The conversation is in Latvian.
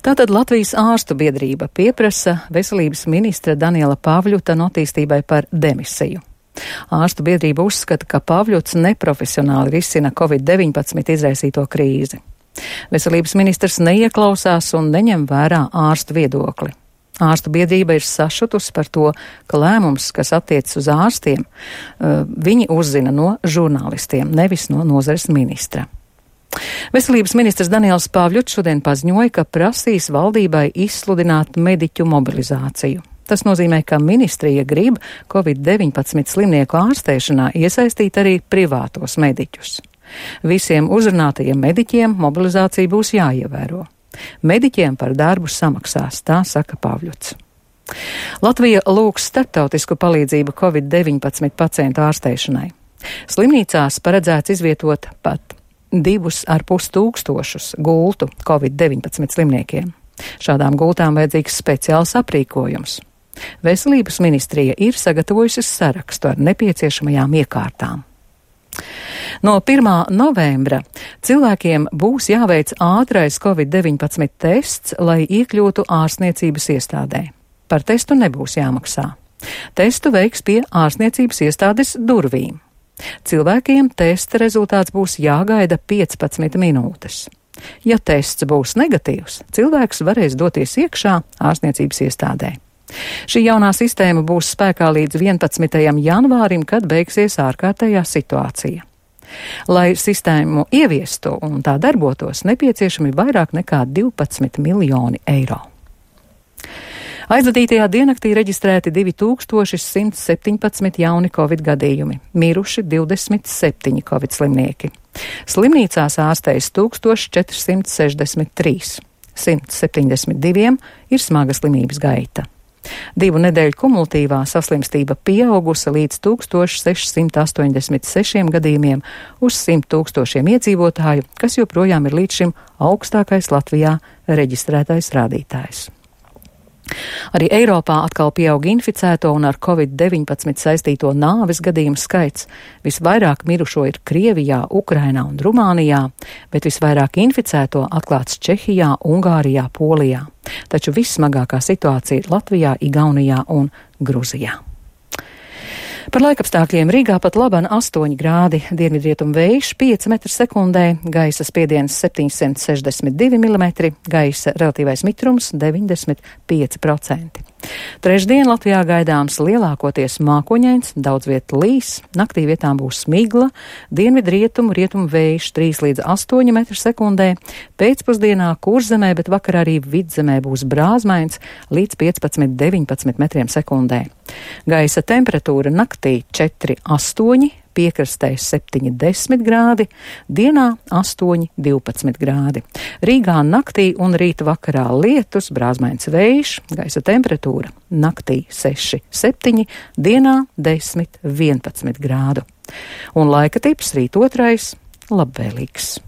Tātad Latvijas ārstu biedrība pieprasa veselības ministra Daniela Pavļuta attīstībai par demisiju. Ārstu biedrība uzskata, ka Pavļuts neprofesionāli risina Covid-19 izraisīto krīzi. Veselības ministrs neieklausās un neņem vērā ārstu viedokli. Ārstu biedrība ir sašutusi par to, ka lēmums, kas attiecas uz ārstiem, viņi uzzina no žurnālistiem, nevis no nozares ministra. Veselības ministrs Daniels Pavļuts šodien paziņoja, ka prasīs valdībai izsludināt mediķu mobilizāciju. Tas nozīmē, ka ministrija grib Covid-19 slimnieku ārstēšanā iesaistīt arī privātos mediķus. Visiem uzrunātajiem mediķiem mobilizācija būs jāievēro. Mediķiem par darbu samaksās, tā saka Pavļuts. Latvija lūgs starptautisku palīdzību Covid-19 pacientu ārstēšanai. Slimnīcās paredzēts izvietot pat 2,5 tūkstošus gultu Covid-19 slimniekiem. Šādām gultām vajadzīgs speciāls aprīkojums. Veselības ministrija ir sagatavojusi sarakstu ar nepieciešamajām iekārtām. No 1. novembra cilvēkiem būs jāveic ātrais Covid-19 tests, lai iekļūtu ārstniecības iestādē. Par testu nebūs jāmaksā. Testu veiks pie ārstniecības iestādes durvīm. Cilvēkiem testa rezultāts būs jāgaida 15 minūtes. Ja tests būs negatīvs, cilvēks varēs doties iekšā ārstniecības iestādē. Šī jaunā sistēma būs spēkā līdz 11. janvārim, kad beigsies ārkārtējā situācija. Lai sistēmu ieviestu un tā darbotos, nepieciešami vairāk nekā 12 miljoni eiro. Aizvadītajā diennaktī reģistrēti 2117 jauni covid gadījumi, miruši 27 covid slimnieki. Slimnīcās ārstējas 1463, 172 ir smaga slimības gaita. 2 nedēļu kumulatīvā saslimstība pieaugusi līdz 1686 gadījumiem uz 100 000 iedzīvotāju, kas joprojām ir līdz šim augstākais Latvijā reģistrētais rādītājs. Arī Eiropā atkal pieaug inficēto un ar Covid-19 saistīto nāves gadījumu skaits. Visvairāk mirušo ir Krievijā, Ukrainā un Rumānijā, bet visvairāk inficēto atklāts Čehijā, Ungārijā, Polijā. Taču vissmagākā situācija ir Latvijā, Igaunijā un Gruzijā. Par laikapstākļiem Rīgā pat laban 8 grādi, dienvidrietumu vējš 5 m/sekundē, gaisa spiediens 762 mm, gaisa relatīvais mitrums 95%. Trešdien Latvijā gaidāms lielākoties mākoņains, daudz viet līs, naktī vietām būs smigla, dienvidrietumu, rietumu vējš 3 līdz 8 m/sekundē, pēcpusdienā Kurzemē, bet vakarā arī Vidzemē būs brāzmains līdz 15–19 m/sekundē. Gaisa temperatūra naktī 4–8, piekrastē 7–10 grādi, dienā 8–12 grādi. Rīgā naktī un rīta vakarā lietus, brāzmains vējš, gaisa temperatūra naktī 6–7, dienā 10–11 grādu. Un laika tips rīt 2. labvēlīgs.